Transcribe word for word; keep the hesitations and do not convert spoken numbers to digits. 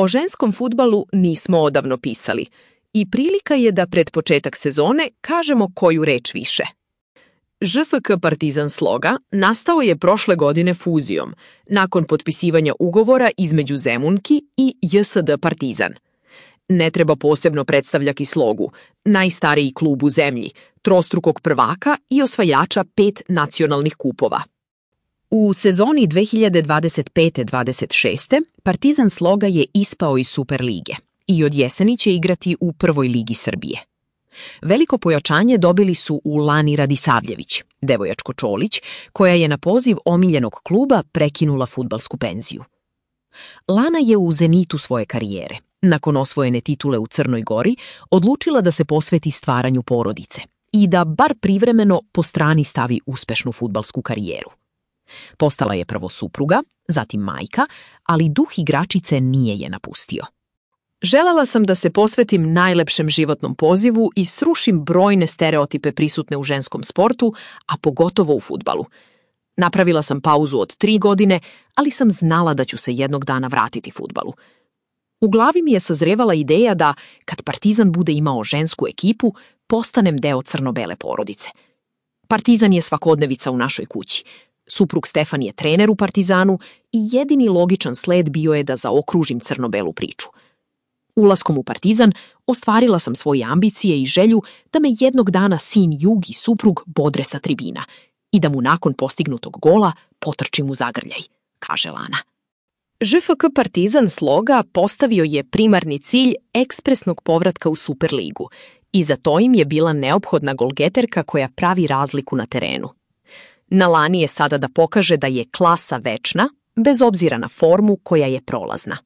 O ženskom fudbalu nismo odavno pisali i prilika je da pred početak sezone kažemo koju reč više. Ž F K Partizan Sloga nastao je prošle godine fuzijom, nakon potpisivanja ugovora između Zemunki i J S D Partizan. Ne treba posebno predstavljati Slogu, najstariji klub u zemlji, trostrukog prvaka i osvajača pet nacionalnih kupova. U sezoni dve hiljade dvadeset pete dvadeset šeste Partizan Sloga je ispao iz Superlige i od jeseni će igrati u Prvoj ligi Srbije. Veliko pojačanje dobili su u Lani Radisavljević, devojačko Čolić, koja je na poziv omiljenog kluba prekinula fudbalsku penziju. Lana je u zenitu svoje karijere, nakon osvojene titule u Crnoj Gori, odlučila da se posveti stvaranju porodice i da bar privremeno po strani stavi uspešnu fudbalsku karijeru. Postala je prvo supruga, zatim majka, ali duh igračice nije je napustio. Želela sam da se posvetim najlepšem životnom pozivu i srušim brojne stereotipe prisutne u ženskom sportu, a pogotovo u fudbalu. Napravila sam pauzu od tri godine, ali sam znala da ću se jednog dana vratiti fudbalu. U glavi mi je sazrevala ideja da, kad Partizan bude imao žensku ekipu, postanem deo crno-bele porodice. Partizan je svakodnevica u našoj kući. Suprug Stefan je trener u Partizanu i jedini logičan sled bio je da zaokružim crno-belu priču. Ulaskom u Partizan ostvarila sam svoje ambicije i želju da me jednog dana sin Jug i suprug bodre sa tribina i da mu nakon postignutog gola potrčim u zagrljaj, kaže Lana. Ž F K Partizan Sloga postavio je primarni cilj ekspresnog povratka u Superligu i za to im je bila neophodna golgeterka koja pravi razliku na terenu. Na Lani je sada da pokaže da je klasa večna, bez obzira na formu koja je prolazna.